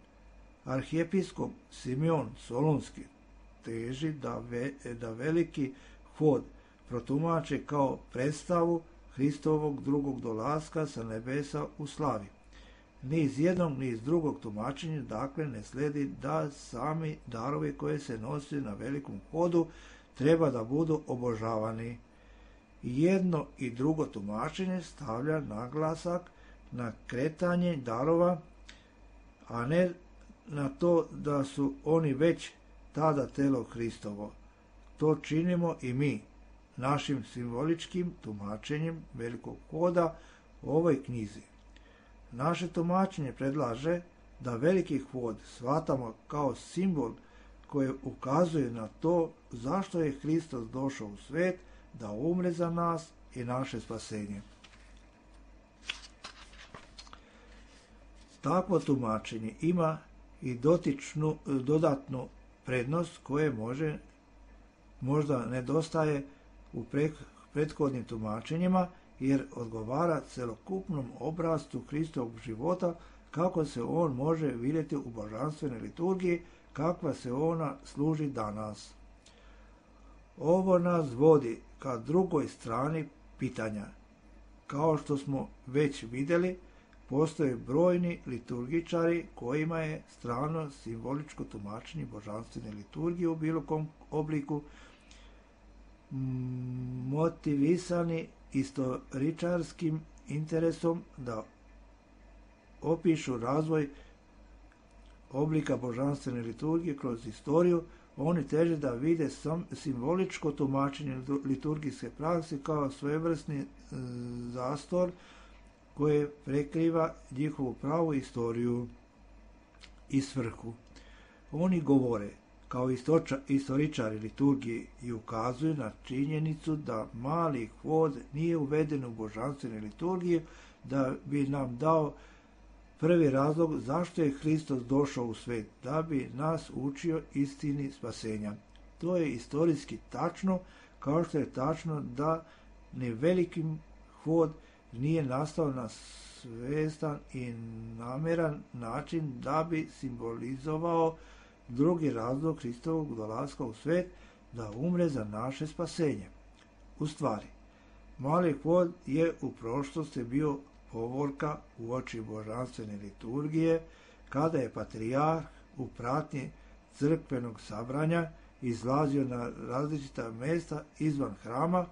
Arhijepiskop Simeon Solunski teži da veliki hod protumače kao predstavu Hristovog drugog dolaska sa nebesa u slavi. Ni iz jednog, ni iz drugog tumačenja dakle ne sledi da sami darovi koje se nose na velikom hodu treba da budu obožavani. Jedno i drugo tumačenje stavlja naglasak na kretanje darova, a ne na to da su oni već tada telo Hristovo. To činimo i mi, našim simboličkim tumačenjem velikog hoda u ovoj knjizi. Naše tumačenje predlaže da veliki hod shvatamo kao simbol koji ukazuje na to zašto je Hristos došao u svet da umre za nas i naše spasenje. Takvo tumačenje ima i dodatnu prednost koje možda nedostaje u prethodnim tumačenjima, jer odgovara celokupnom obrazcu Hristovog života kako se on može vidjeti u božanstvenoj liturgiji, kakva se ona služi danas. Ovo nas vodi ka drugoj strani pitanja. Kao što smo već vidjeli, postoje brojni liturgičari kojima je strano simboličko tumačenje božanstvene liturgije u bilo kom obliku motivisani istoričarskim interesom da opišu razvoj oblika božanstvene liturgije kroz istoriju. Oni teže da vide simboličko tumačenje liturgijske prakse kao svojevrsni zastor koje prekriva njihovu pravu istoriju i svrhu. Oni govore kao istoričari liturgije i ukazuju na činjenicu da mali hod nije uveden u božanstvene liturgije da bi nam dao prvi razlog zašto je Hristos došao u svet, da bi nas učio istini spasenja. To je istorijski tačno, kao što je tačno da ni veliki hod nije nastao na svestan i nameran način da bi simbolizovao drugi razlog Hristovog dolaska u svet, da umre za naše spasenje. U stvari, mali hod je u prošlosti bio povorka uoči božanstvene liturgije, kada je patrijarh u pratnji crkvenog sabranja izlazio na različita mjesta izvan hrama.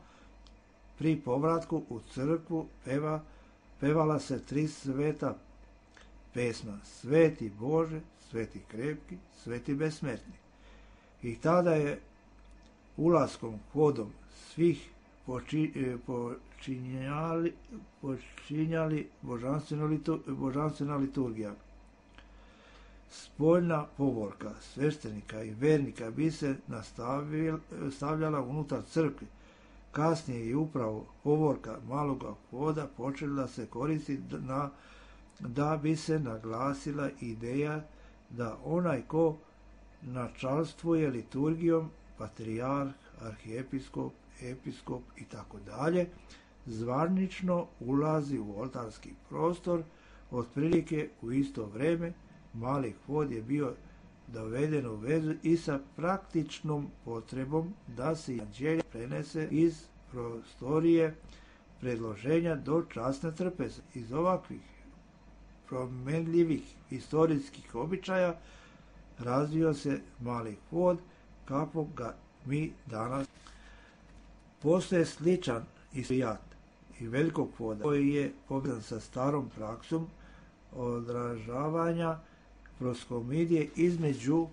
Pri povratku u crkvu pevala se 3 sveta pesma: Sveti Bože, Sveti krepki, Sveti besmrtni. I tada je ulaskom hodom svih počinjali božanstvena liturgija. Spoljna povorka sveštenika i vernika bi se stavljala unutar crkve. Kasnije je upravo povorka maloga hoda počela da se koristi da bi se naglasila ideja da onaj ko načalstvuje liturgijom, patrijarh, arhijepiskop, episkop i tako dalje, zvanično ulazi u oltarski prostor. Otprilike u isto vrijeme mali Hvod je bio doveden u vezu i sa praktičnom potrebom da se evanđelje prenese iz prostorije predloženja do časne trpeze. Iz ovakvih promenljivih historijskih običaja razvio se mali Hvod kakvog ga mi danas. Postoje sličan istorijat i velikog Hvoda koji je povezan sa starom praksom odražavanja proskomidije između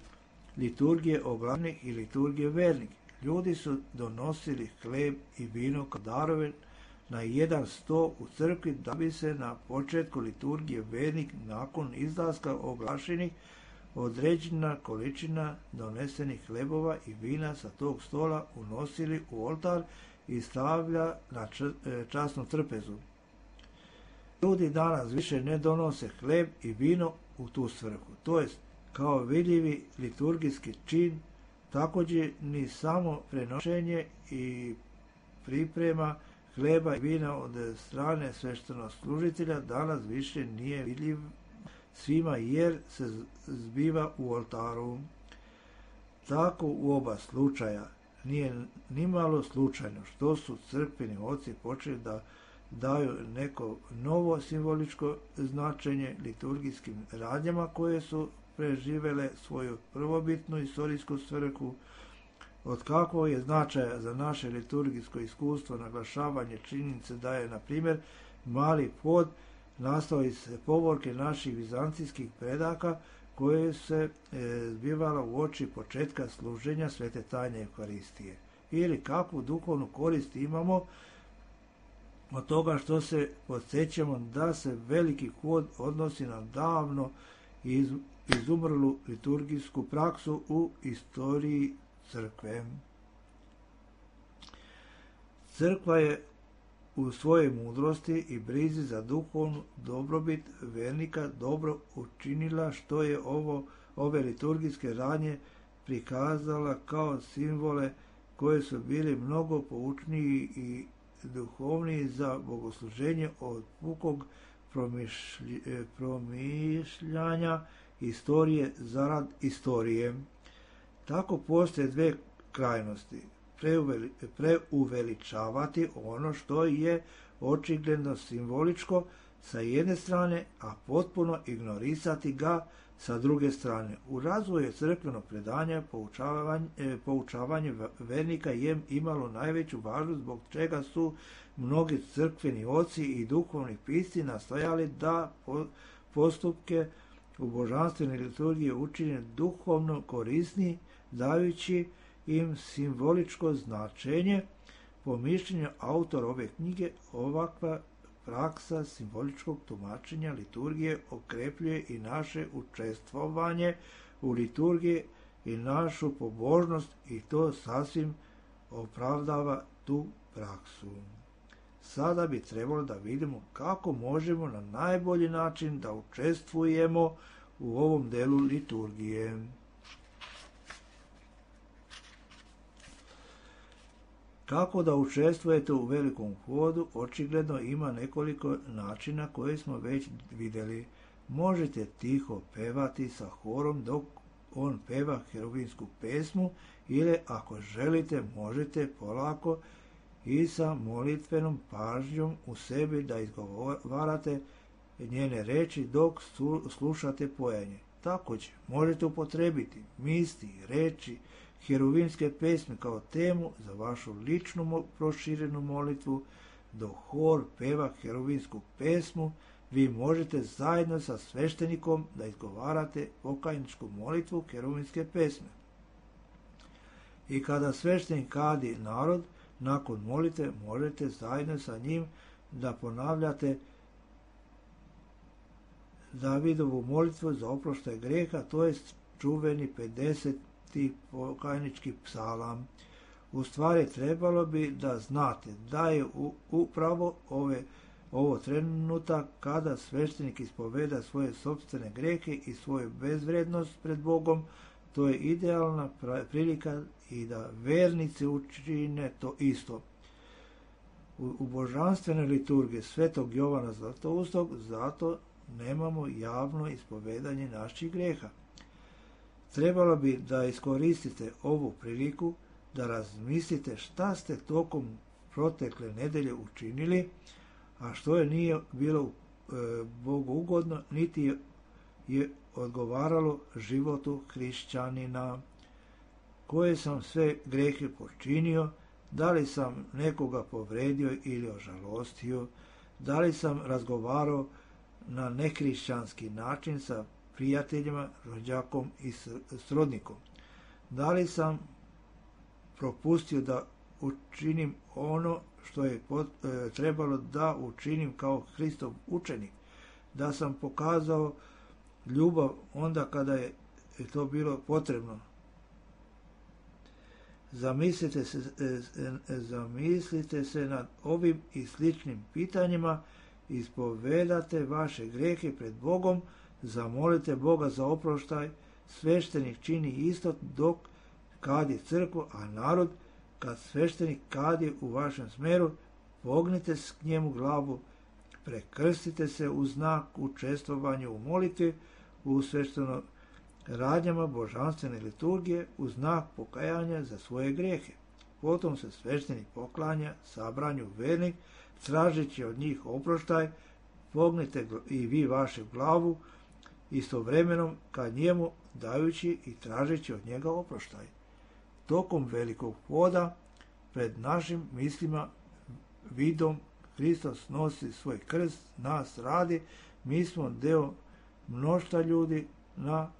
liturgije oglasnih i liturgije vernih. Ljudi su donosili hleb i vino kao darove na jedan sto u crkvi da bi se na početku liturgije vernik nakon izlaska oglašenih određena količina donesenih hlebova i vina sa tog stola unosili u oltar i stavlja na časnu trpezu. Ljudi danas više ne donose hleb i vino u tu svrhu, to jest kao vidljivi liturgijski čin, također ni samo prenošenje i priprema hleba i vina od strane sveštenoslужitelja danas više nije vidljiv svima jer se zbiva u oltaru. Tako u oba slučaja nije nimalo slučajno što su crkveni oci počeli da daju neko novo simboličko značenje liturgijskim radnjama koje su preživele svoju prvobitnu istorijsku svrhu. Od kakvog je značaja za naše liturgijsko iskustvo naglašavanje činjenice da je, na primjer, mali Hvod nastao iz povorke naših vizancijskih predaka koje se zbivala u oči početka služenja svete tajne Euharistije. Ili kakvu duhovnu korist imamo od toga što se podsjećamo da se veliki Hvod odnosi na davno izumrlu liturgijsku praksu u istoriji crkve. Crkva je u svojoj mudrosti i brizi za duhovnu dobrobit vernika dobro učinila što je ove liturgijske radnje prikazala kao simbole koje su bili mnogo poučniji i duhovniji za bogosluženje od pukog promišljanja istorije zarad istorije. Tako postoje dve krajnosti. Preuveličavati ono što je očigledno simboličko sa jedne strane, a potpuno ignorisati ga sa druge strane. U razvoju crkvenog predanja poučavanje vernika je imalo najveću važnost, zbog čega su mnogi crkveni oci i duhovni pisci nastojali da postupke u božanstvenoj liturgiji učine duhovno korisni, dajući im simboličko značenje. Po mišljenju autora ove knjige, ovakva praksa simboličkog tumačenja liturgije okrepljuje i naše učestvovanje u liturgiji i našu pobožnost i to sasvim opravdava tu praksu. Sada bi trebalo da vidimo kako možemo na najbolji način da učestvujemo u ovom delu liturgije. Kako da učestvujete u velikom Hvodu, očigledno ima nekoliko načina koje smo već vidjeli. Možete tiho pevati sa horom dok on peva herubinsku pesmu ili ako želite možete polako i sa molitvenom pažnjom u sebi da izgovarate njene reči dok slušate pojenje. Također možete upotrebiti misli, reči, heruvimske pesme kao temu za vašu ličnu proširenu molitvu. Dok hor peva heruvinsku pesmu, vi možete zajedno sa sveštenikom da izgovarate pokajničku molitvu heruvinske pesme. I kada sveštenik kadi narod, nakon molitve možete zajedno sa njim da ponavljate Davidovu molitvu za oproštaj greha, to jest čuveni 50. pokajnički psalam. U stvari trebalo bi da znate da je upravo ovo trenutak kada sveštenik ispoveda svoje sopstvene grehe i svoju bezvrednost pred Bogom. To je idealna prilika i da vernici učine to isto. u božanstvenoj liturgiji svetog Jovana Zlatoustog, zato nemamo javno ispovedanje naših greha. Trebalo bi da iskoristite ovu priliku da razmislite šta ste tokom protekle nedelje učinili, a što je nije bilo Bogu ugodno, niti je odgovaralo životu hrišćanina. Koje sam sve grehe počinio, da li sam nekoga povredio ili ožalostio, da li sam razgovarao na nehrišćanski način sa prijateljima, rođakom i srodnikom, da li sam propustio da učinim ono što je trebalo da učinim kao Hristov učenik, da sam pokazao ljubav onda kada je to bilo potrebno. Zamislite se nad ovim i sličnim pitanjima, ispovedate vaše grehe pred Bogom, zamolite Boga za oproštaj, sveštenik čini isto dok kadi crkvu, a narod, kad sveštenik kadi u vašem smeru, pognite k njemu glavu, prekrstite se u znak učestvovanja u molitvi, u svešteno radnjama božanstvene liturgije, u znak pokajanja za svoje grehe. Potom se sveštenik poklanja sabranju vernih, tražeći od njih oproštaj, pognite i vi vašu glavu, istovremenom ka njemu dajući i tražeći od njega oproštaj. Tokom velikog poda pred našim mislima vidom Hristos nosi svoj krst, nas radi, mi smo deo mnoštva ljudi na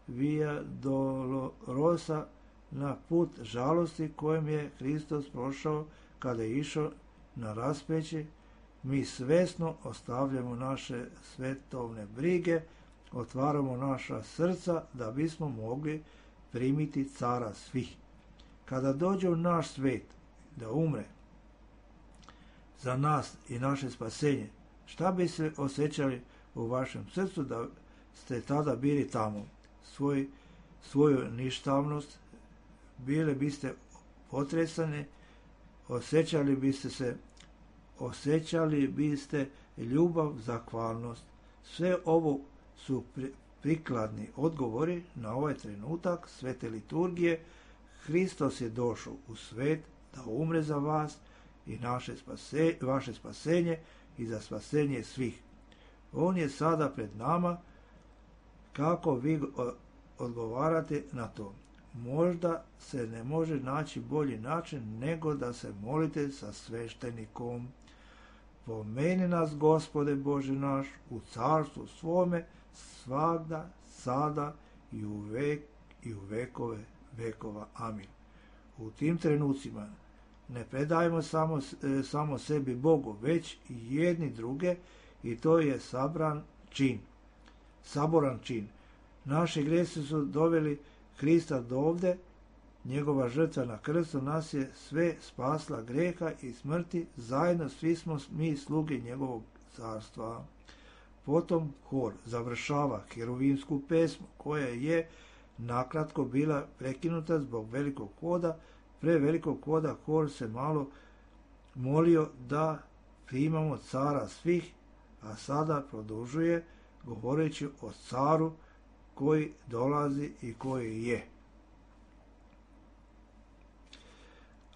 Via Dolorosa, na put žalosti kojem je Hristos prošao kada je išao na raspeće. Mi svesno ostavljamo naše svetovne brige, otvaramo naša srca da bismo mogli primiti cara svih. Kada dođe u naš svet da umre za nas i naše spasenje, šta bi se osjećali u vašem srcu da ste tada bili tamo? Svoju ništavnost, bile biste potresane, osjećali biste ljubav, zahvalnost. Sve ovo su prikladni odgovori na ovaj trenutak svete liturgije. Hristos je došao u svet da umre za vas i vaše spasenje i za spasenje svih. On je sada pred nama. Kako vi odgovarate na to? Možda se ne može naći bolji način nego da se molite sa sveštenikom. Pomeni nas, Gospode Bože naš, u carstvu svome, svagda, sada i u vekove vekova. Amin. U tim trenucima ne predajmo samo sebi Bogu, već i jedni druge, i to je saboran čin. Naši gresi su doveli Hrista do ovde, njegova žrtva na krstu nas je sve spasla greha i smrti, zajedno svi smo mi sluge njegovog carstva. Potom hor završava heruvimsku pesmu, koja je nakratko bila prekinuta zbog velikog hoda. Pre velikog hoda hor se malo molio da primamo cara svih, a sada produžuje govoreći o caru koji dolazi i koji je.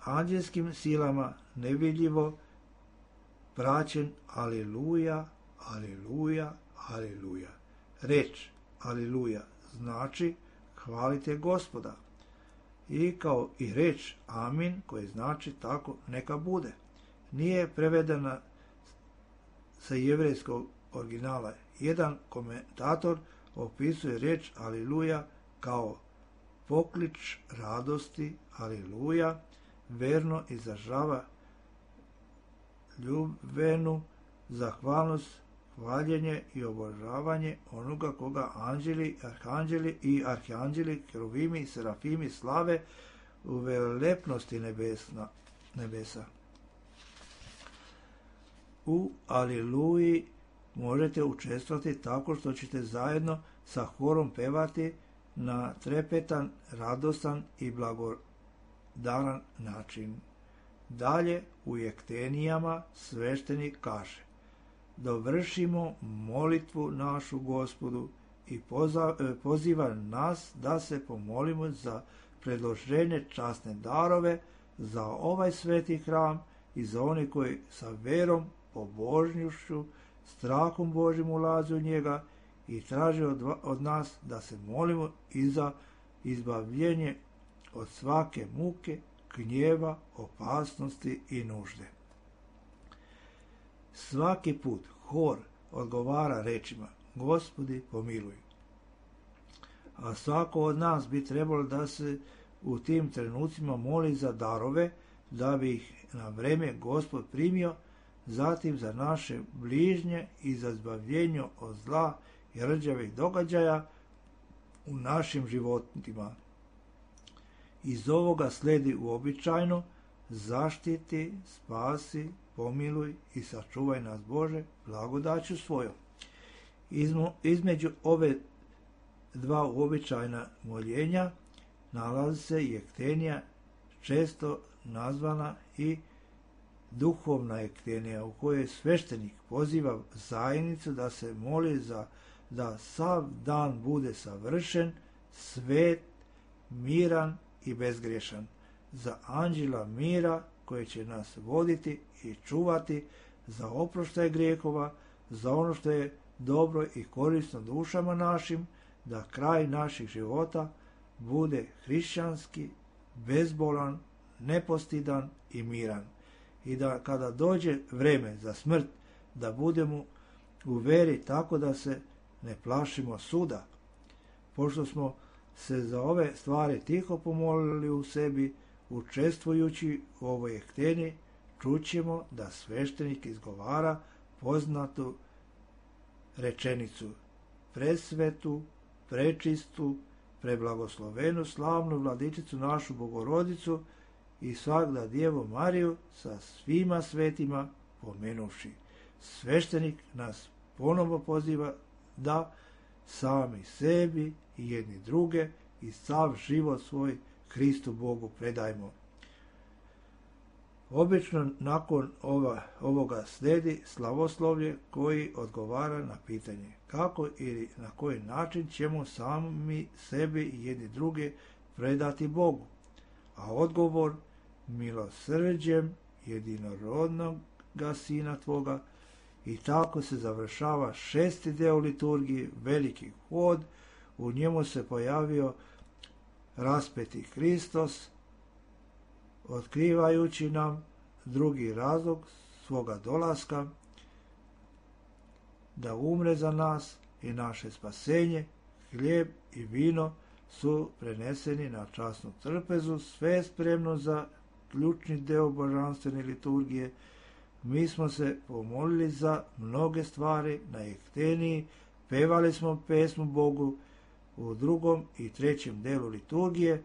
Anđelskim silama nevidljivo praćen aleluja, aleluja, aleluja. Reč aleluja znači hvalite Gospoda, i kao i reč amin koji znači tako neka bude. Nije prevedena sa jevrejskog originala. Jedan komentator opisuje reč aleluja kao poklič radosti, aleluja, verno izražava ljubvenu zahvalnost, hvaljenje i obožavanje onoga koga anđeli, arhanđeli i arhanđeli, keruvimi i serafimi slave u velelepnosti nebesa. U aleluji možete učestvovati tako što ćete zajedno sa horom pevati na trepetan, radostan i blagodaran način. Dalje u Jektenijama sveštenik kaže: dovršimo molitvu našu Gospodu i poziva nas da se pomolimo za predloženje časne darove za ovaj sveti hram i za one koji sa verom, pobožnošću, strahom Božim ulaze u njega i traže od nas da se molimo i za izbavljenje od svake muke, gnjeva, opasnosti i nužde. Svaki put hor odgovara rečima: Gospodi pomiluj. A svako od nas bi trebalo da se u tim trenucima moli za darove, da bi ih na vreme Gospod primio, zatim za naše bližnje i za izbavljenje od zla i rđavih događaja u našim životima. Iz ovoga sledi uobičajno: zaštiti, spasi, pomiluj i sačuvaj nas Bože blagodaću svojom. Između ove dva uobičajna moljenja nalazi se Jektenija, često nazvana i duhovna Jektenija, u kojoj sveštenik poziva zajednicu da se moli da sav dan bude savršen, svet, miran i bezgrešan, za anđela mira koji će nas voditi i čuvati, za oproštaj grijehova, za ono što je dobro i korisno dušama našim, da kraj naših života bude hrišćanski, bezbolan, nepostidan i miran. I da kada dođe vreme za smrt, da budemo u veri tako da se ne plašimo suda. Pošto smo se za ove stvari tiho pomolili u sebi, učestvujući u ovoj Jekteni, čućemo da sveštenik izgovara poznatu rečenicu: presvetu, prečistu, preblagoslovenu, slavnu Vladičicu našu Bogorodicu i svagda Djevu Mariju sa svima svetima pomenuvši. Sveštenik nas ponovo poziva da sami sebi i jedni druge i sav život svoj Hristu Bogu predajmo. Obično nakon ovoga sledi slavoslovlje koji odgovara na pitanje kako ili na koji način ćemo sami sebi i jedni druge predati Bogu. A odgovor: milosrđem jedinorodnoga Sina Tvoga. I tako se završava 6. deo liturgije, veliki hod. U njemu se pojavio raspeti Hristos, otkrivajući nam drugi razlog svoga dolaska, da umre za nas i naše spasenje. Hljeb i vino su preneseni na časnu trpezu, sve spremno za ključni deo božanstvene liturgije. Mi smo se pomolili za mnoge stvari na Jekteniji, pevali smo pesmu Bogu u 2. i 3. delu liturgije,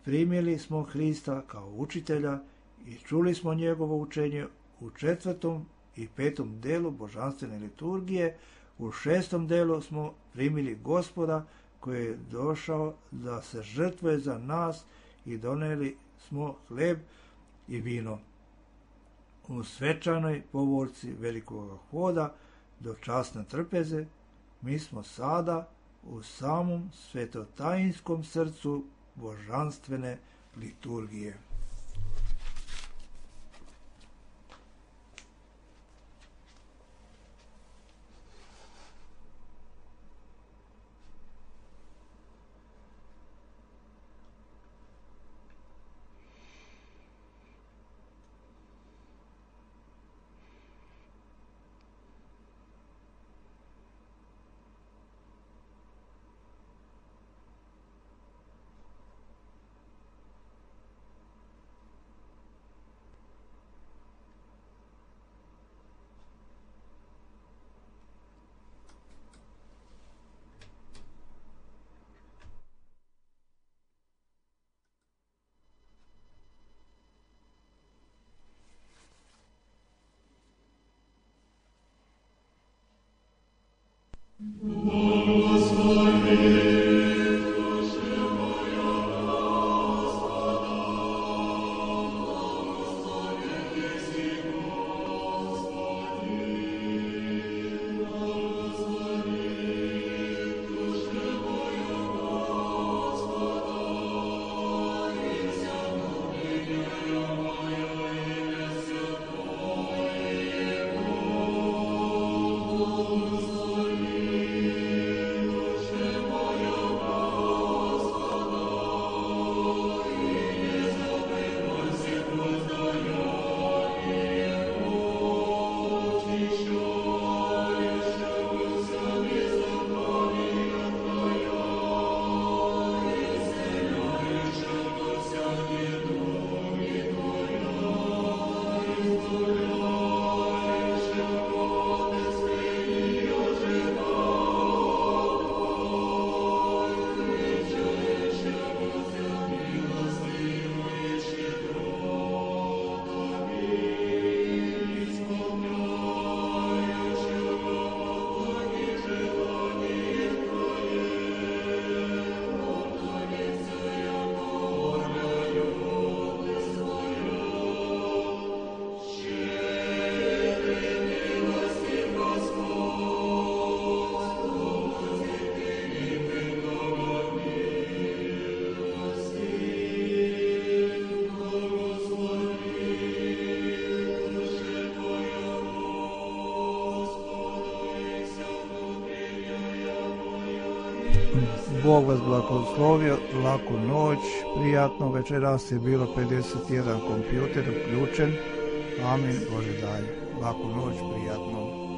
primili smo Hrista kao učitelja i čuli smo njegovo učenje u 4. i 5. delu božanstvene liturgije. U 6. delu smo primili Gospoda koji je došao da se žrtvuje za nas i doneli smo hleb i vino. U svečanoj povorci velikog hoda do časne trpeze mi smo sada u samom svetotajinskom srcu božanstvene liturgije. Bog vas blagoslovio, laku noć, prijatno, večeras je bilo 51 kompjuter uključen, amin, Bože daj, laku noć, prijatno.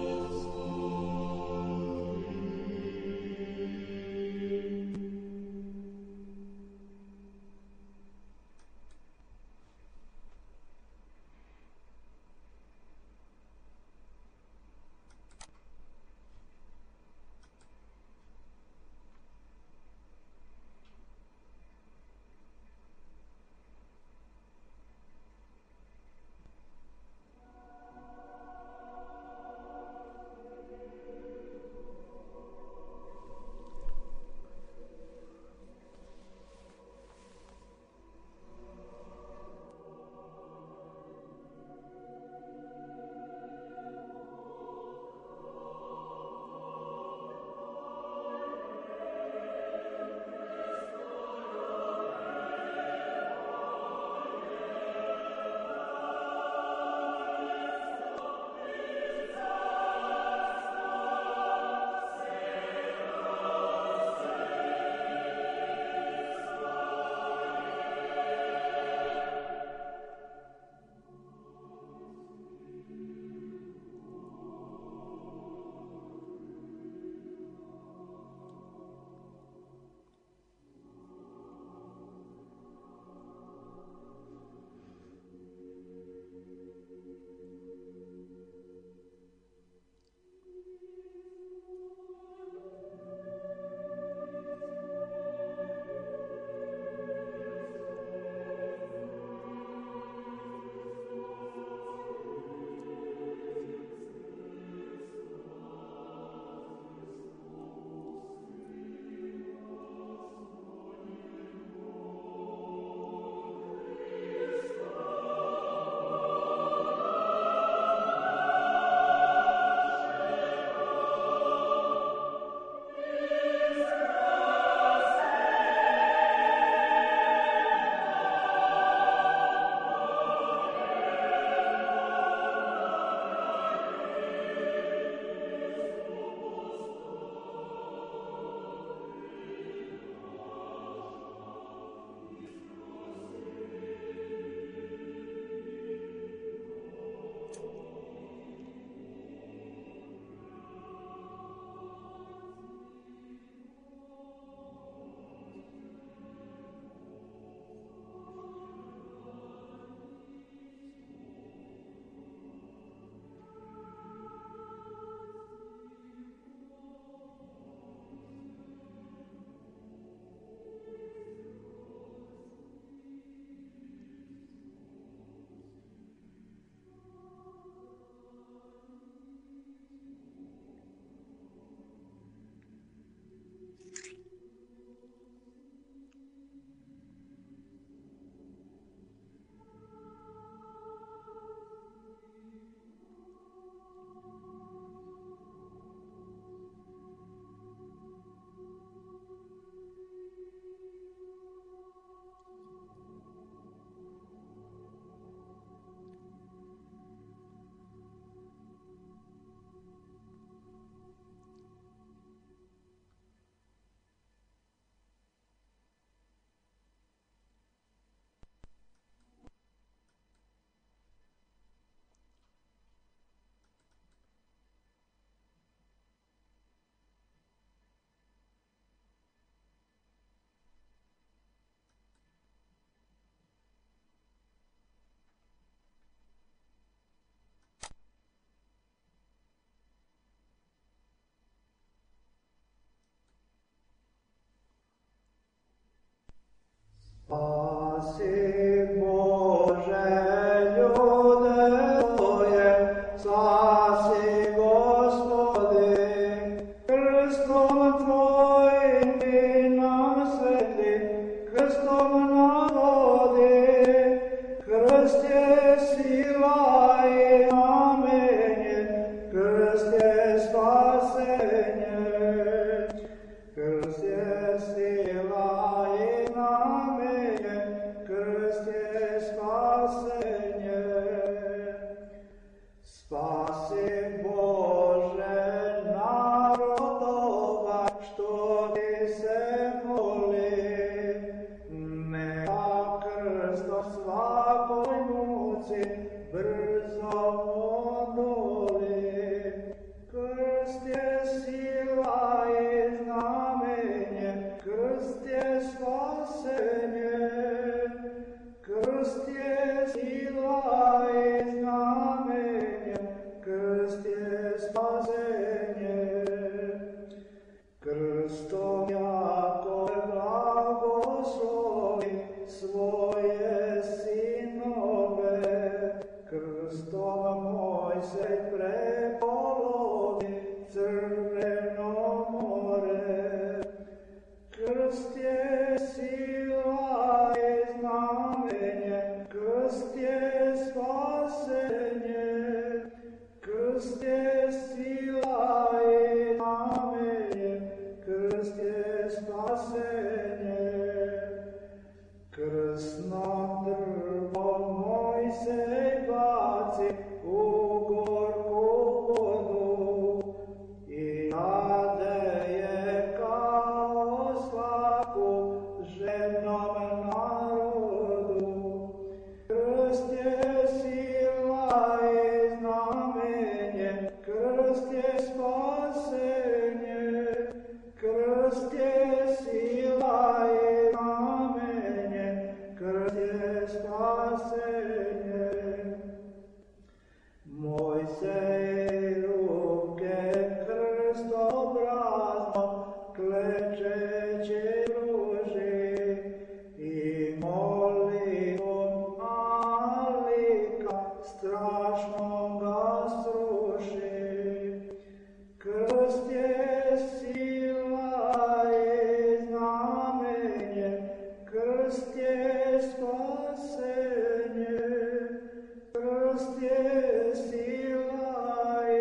Krst je sila i znamenje, krst je spasenje. Krst je sila i znamenje, krst je spasenje. Krstom jako blagoslovi svoje sinove, krstom Mojsej prepolovi Crveno more. Krst je sila i znamenje, krst je spasenje. Krst je sila i znamenje, krst je spasenje. Krsno drvo Mojsej baci u gorku vodu i nadeje kao svaku žednom narodu. Krst je sila i znamenje, krst je spasenje. Krst je sila i znamenje, krst je spasenje. Mojsej ruke krstobrazno klečeći pruži i molitvom alika strašno ga sruši. Krst je sila i znamenje, krst je spasenje. Krst je sila i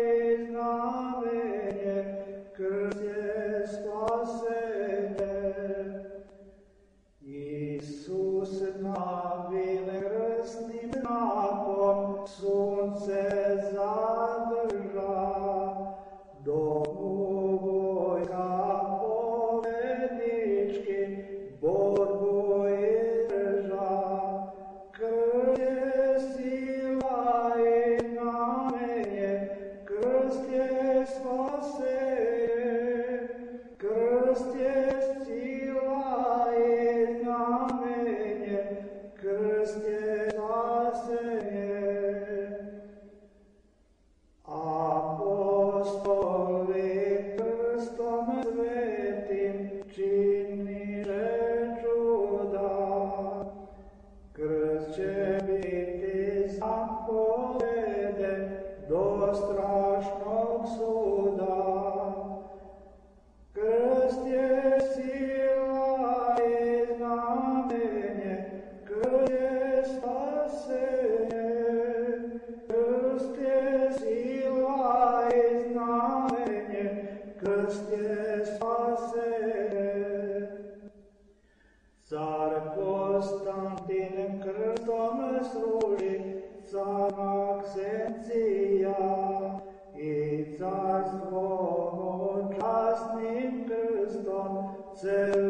znamenje, krst je spasenje. Isus navile krstnim znakom sunce zadrža, dok mu vojska pobednički borbu izdrža. Krst je sila i znamenje, krst je spasenje. Krst je sila i znamenje, krst je spasenje. Apostoli krstom svetim činiše čuda. Krst će biti zapoveden do strašnog suda. Krst je sila i znamenje, krst je spasenje. Krst je sila i znamenje, krst je spasenje. Car Konstantin krstom sruši car Maksencija i carstvo mu časnim krstom cel